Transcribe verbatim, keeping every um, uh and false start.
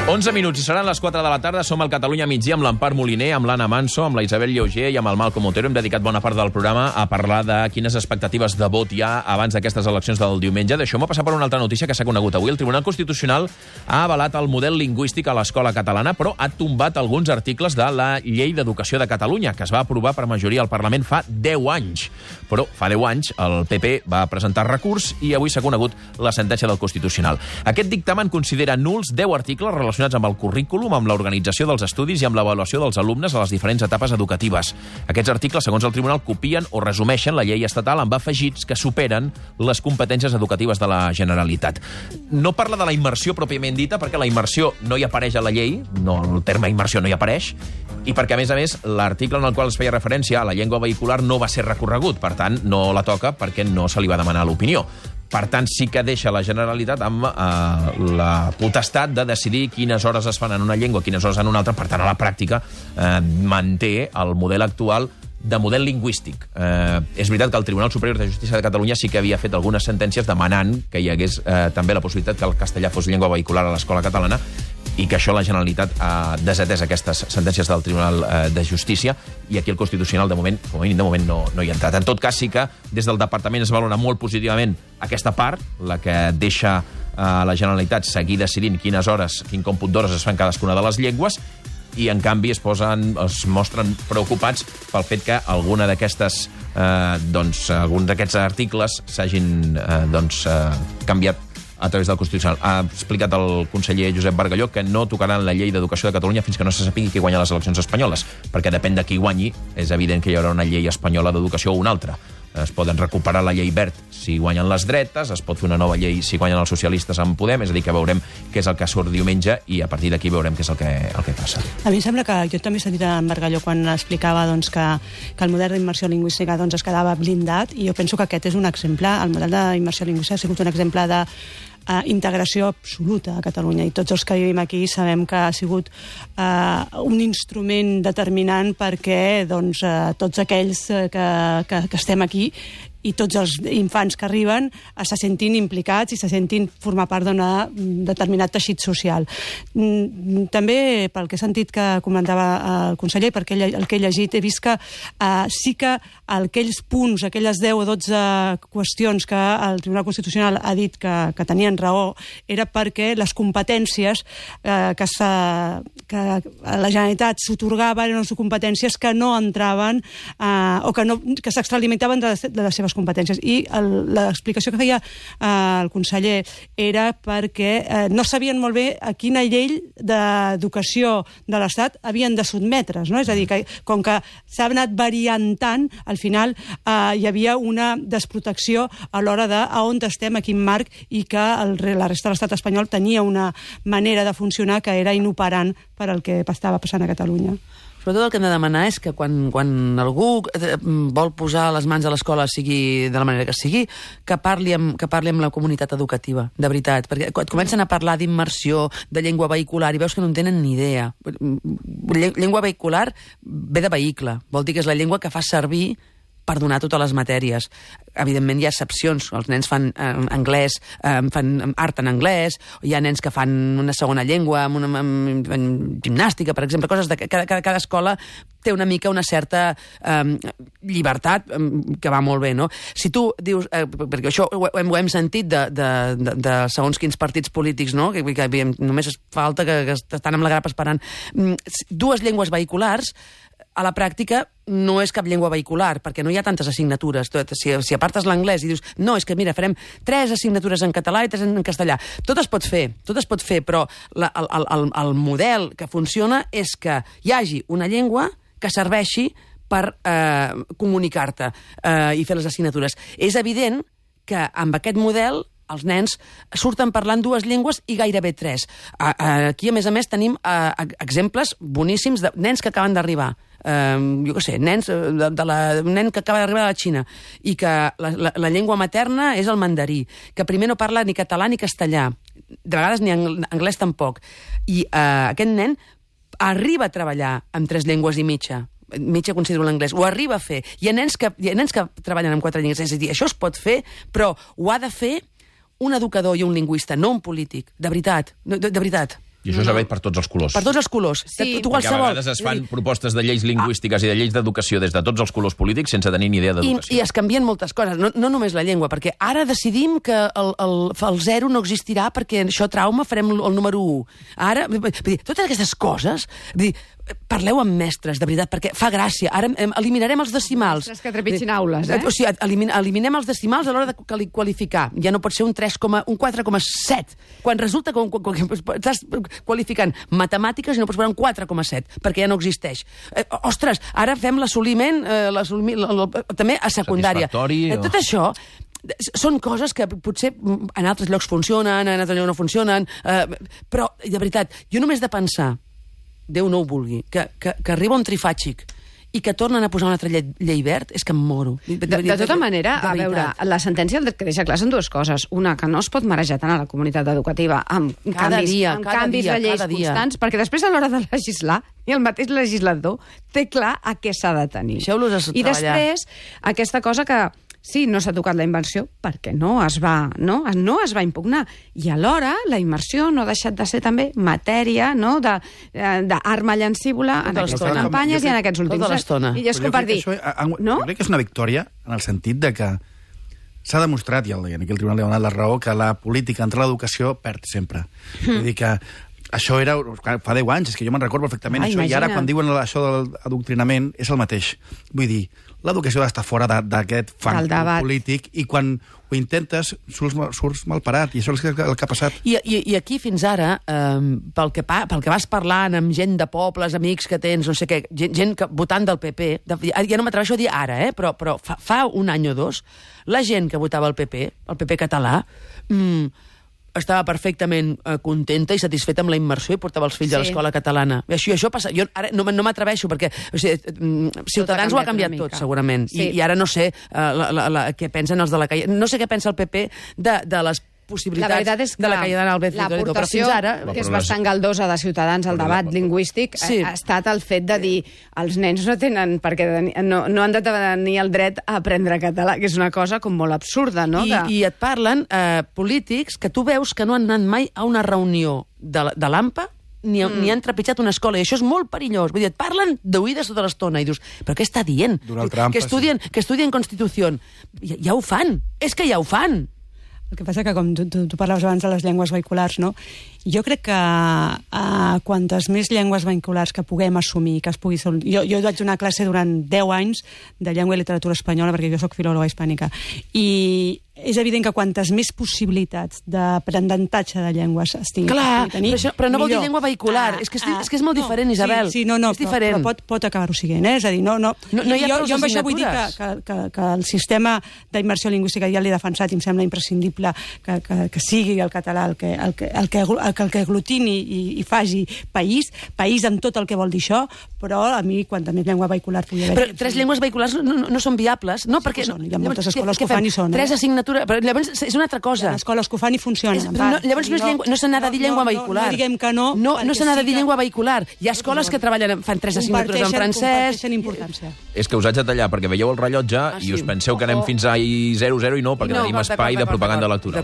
onze minuts i seran les quatre de la tarda. Som al Catalunya migdia amb l'Empar Moliner, amb l'Anna Manso, amb la Isabel Lleuger i amb el Malcom Otero. Hem dedicat bona part del programa a parlar de quines expectatives de vot hi ha abans d'aquestes eleccions del diumenge. Deixeu-me passar per una altra notícia que s'ha conegut avui. El Tribunal Constitucional ha avalat el model lingüístic a l'escola catalana, però ha tombat alguns articles de la Llei d'Educació de Catalunya, que es va aprovar per majoria al Parlament fa deu anys. Però fa deu anys el P P va presentar recurs i avui s'ha conegut la sentència del Constitucional. Aquest dictamen considera nuls deu articles relacionats amb el currículum, amb l'organització dels estudis i amb l'avaluació dels alumnes a les diferents etapes educatives. Aquests articles, segons el Tribunal, copien o resumeixen la llei estatal amb afegits que superen les competències educatives de la Generalitat. No parla de la immersió pròpiament dita, perquè la immersió no hi apareix a la llei, no, el terme immersió no hi apareix, i perquè, a més a més, l'article en el qual es feia referència a la llengua vehicular no va ser recorregut, per tant, no la toca perquè no se li va demanar l'opinió. Per tant, sí que deixa la Generalitat amb eh, la potestat de decidir quines hores es fan en una llengua, quines hores en una altra. Per tant, a la pràctica eh, manté el model actual de model lingüístic. Eh, és veritat que el Tribunal Superior de Justícia de Catalunya sí que havia fet algunes sentències demanant que hi hagués eh, també la possibilitat que el castellà fos llengua vehicular a l'escola catalana, i que això la Generalitat ha desatès aquestes sentències del Tribunal eh, de Justícia, i aquí el Constitucional, de moment, com a mínim de moment, no, no hi ha entrat. En tot cas, sí que des del Departament es valora molt positivament aquesta part, la que deixa a la Generalitat seguir decidint quines hores, quin còmput d'hores es fan cadascuna de les llengües, i en canvi es posen, es mostren preocupats pel fet que alguna d'aquestes, eh, doncs, alguns d'aquests articles s'hagin eh, doncs, eh, canviat a través del Constitucional. Ha explicat el conseller Josep Bargalló que no tocaran la llei d'Educació de Catalunya fins que no se sapigui qui guanya les eleccions espanyoles, perquè depèn de qui guanyi, és evident que hi haurà una llei espanyola d'educació o una altra. Es poden recuperar la llei Wert si guanyen les dretes, es pot fer una nova llei si guanyen els socialistes en Podem, és a dir, que veurem què és el que surt diumenge i a partir d'aquí veurem què és el que, el que passa. A mi em sembla que jo també he sentit en Bargalló quan explicava doncs, que, que el model d'immersió lingüística doncs, es quedava blindat, i jo penso que aquest és un exemple, el model d'immersió lingüística ha sigut un exemple de Uh, integració absoluta a Catalunya, i tots els que vivim aquí sabem que ha sigut uh, un instrument determinant perquè doncs, uh, tots aquells que, que, que estem aquí i tots els infants que arriben se sentin implicats i se sentin formar part d'un determinat teixit social. També, pel que he sentit que comentava el conseller, perquè el que he llegit, he vist que uh, sí que aquells punts, aquelles deu o dotze qüestions que el Tribunal Constitucional ha dit que, que tenien raó, era perquè les competències eh, que, que la Generalitat s'atorgava eren les competències que no entraven eh, o que, no, que s'extralimitaven de, de les seves competències. I l'explicació que feia eh, el conseller era perquè eh, no sabien molt bé a quina llei d'educació de l'Estat havien de sotmetre's, no? És a dir, que com que s'ha anat variant tant, al final eh, hi havia una desprotecció a l'hora de a on estem, a quin marc, i que el, la resta de l'estat espanyol tenia una manera de funcionar que era inoperant per al que estava passant a Catalunya. Sobretot el que hem de demanar és que quan, quan algú vol posar les mans a l'escola, sigui de la manera que sigui, que parli, amb, que parli amb la comunitat educativa, de veritat. Perquè quan comencen a parlar d'immersió, de llengua vehicular, i veus que no en tenen ni idea. Llengua vehicular ve de vehicle, vol dir que és la llengua que fa servir per donar totes les matèries. Evidentment hi ha excepcions. Els nens fan eh, anglès, eh, fan art en anglès, hi ha nens que fan una segona llengua, amb una, amb, amb gimnàstica, per exemple, coses de cada, cada, cada escola té una mica una certa eh, llibertat eh, que va molt bé, no? Si tu dius, eh, perquè això ho hem, ho hem sentit de, de, de, de segons quins partits polítics, no? Que, que, que només falta que, que estan amb la grapa esperant. Dues llengües vehiculars, a la pràctica no és cap llengua vehicular, perquè no hi ha tantes assignatures. Si, si apartes l'anglès i dius, no, és que mira, farem tres assignatures en català i tres en castellà. Tot es pot fer, tot es pot fer, però la, el, el, el model que funciona és que hi hagi una llengua que serveixi per eh, comunicar-te eh, i fer les assignatures. És evident que amb aquest model els nens surten parlant dues llengües i gairebé tres. Aquí, a més a més, tenim exemples boníssims de nens que acaben d'arribar. Uh, jo què sé, nens de, de la, un nen que acaba d'arribar a la Xina i que la, la, la llengua materna és el mandarí, que primer no parla ni català ni castellà, de vegades ni anglès tampoc, i uh, aquest nen arriba a treballar amb tres llengües i mitja, mitja considero l'anglès, ho arriba a fer. Hi ha nens que, hi ha nens que treballen amb quatre llengües, és a dir, això es pot fer, però ho ha de fer un educador i un lingüista, no un polític, de veritat, de, de veritat. I això s'ha fet per tots els colors. Per tots els colors. Sí, tu Perquè a qualsevol... vegades es fan propostes de lleis lingüístiques i de lleis d'educació des de tots els colors polítics sense tenir ni idea I, d'educació. I es canvien moltes coses, no, no només la llengua, perquè ara decidim que el, el, el zero no existirà perquè això trauma farem el, el número u. Ara, vull dir, totes aquestes coses, vull dir, parleu amb mestres, de veritat, perquè fa gràcia. Ara em, eliminarem els decimals. Mestres que trepitgin aules, eh? O sigui, elimin, eliminem els decimals a l'hora de quali- qualificar. Ja no pot ser un, tres, un quatre coma set. Quan resulta que, que, que estàs qualificant matemàtiques i no pots posar un quatre coma set, perquè ja no existeix. Eh, ostres, ara fem l'assoliment eh, l'assoliment també a secundària. Satisfactori, Eh, tot això són coses que potser en altres llocs funcionen, en altres llocs no funcionen, eh, però, de veritat, jo només de pensar, Déu no ho vulgui, que, que, que arriba un trifàgic i que tornen a posar una altra llei, llei verd, és que em moro. De, de tota manera, a veure, la sentència el que deixa clar són dues coses. Una, que no es pot marejar tant a la comunitat educativa amb Cada canvis, dia, amb cada canvis dia, de lleis cada dia. constants, perquè després a l'hora de legislar, i el mateix legislador té clar a què s'ha de tenir. Deixeu-los a I treballar. després, aquesta cosa que sí, no s'ha tocat la immersió perquè no es va, no? no es va impugnar. I alhora la immersió no ha deixat de ser també matèria, no? d'arma llancívola en Tota aquestes l'estona. campanyes i en aquests últims Tota anys. l'estona. I és Però com jo per crec dir... que això, a- a- no? Jo crec que és una victòria en el sentit de que s'ha demostrat, i el- i aquí el Tribunal li ha donat la raó, que la política entre l'educació perd sempre. Vull dir que això era fa deu anys, és que jo me'n recordo perfectament Ah, això, i ara imagina't. quan diuen això de l'adoctrinament és el mateix. Vull dir, l'educació ha d'estar fora de- d'aquest fang Del debat. polític i quan ho intentes surts, mal- surts mal parat, i això és el que, el que ha passat. I, i, I aquí, fins ara, eh, pel, que pa, pel que vas parlant amb gent de pobles, amics que tens, no sé què, gent, gent que, votant del P P, de, ja no m'atreveixo a dir ara, eh, però, però fa, fa un any o dos, la gent que votava el P P, el P P català, mm, estava perfectament eh, contenta i satisfeta amb la immersió i portava els fills Sí. a l'escola catalana. I això, això passa. Jo ara no, no m'atreveixo perquè o sigui, mm, Ciutadans ho ha canviat una tot, mica. segurament. Sí. I, I ara no sé eh, la, la, la, què pensen els de la calle. No sé què pensa el P P de, de les possibilitats La veritat és que de la Cayetana Álvarez Toledo, però l'aportació, fins ara... que és bastant galdosa de Ciutadans al debat lingüístic, Sí. ha, ha estat el fet de dir els nens no tenen perquè no, no han de tenir el dret a aprendre català, que és una cosa com molt absurda, no? I, De... I et parlen eh, polítics que tu veus que no han anat mai a una reunió de, la- de l'A M P A ni, mm. ni han trepitjat una escola, i això és molt perillós. Vull dir, et parlen d'oïdes tota l'estona i dius, però què està dient? Donald Trump, que estudien, que estudien Constitució. Ja, ja ho fan, és que ja ho fan. El que passa que, com tu, tu, tu parlaves abans de les llengües vehiculars, no? Jo crec que uh, quantes més llengües vehiculars que puguem assumir, que es pugui... Jo, jo vaig donar classe durant deu anys de llengua i literatura espanyola, perquè jo sóc filòloga hispànica, i és evident que quantes més possibilitats d'aprenentatge de llengües es tingui, Clar, es pugui tenir, però, això, però no vol dir millor. llengua vehicular. és, que és, és que és molt no, diferent, Isabel. Sí, sí no, no, és diferent. Però, però pot, pot acabar-ho siguent, eh? És a dir, no... no, No- no hi ha jo, prou jo amb això vull dir que, assignatures. que, que, que el sistema d'immersió lingüística ja l'he defensat i em sembla imprescindible que, que, que sigui el català el que, el que, el que, el que, el que aglutini i, i faci país, país amb tot el que vol dir això, però a mi, quanta més llengua vehicular pugui haver... Però tres llengües vehiculars no, no, no són viables, no? Sí perquè que són, hi ha llavors, moltes què- escoles què que ho fan fem? i són, eh? Tres assignatures, però llavors és una altra cosa. Les escoles que ho fan i funcionen. És, en però no, part. llavors no, és llengua, no se n'ha de dir llengua no, vehicular. No, no diguem que no. No, no perquè se n'ha de sí dir que- llengua vehicular. Hi ha escoles que treballen, fan tres assignatures en Comparteixen- francès... comparteixen importància. És que us haig de tallar perquè veieu el rellotge Ah, i sí. us penseu que anem Oh. fins a zero zero i no, perquè No, tenim d'acord, espai de d'acord, propaganda d'acord. electoral.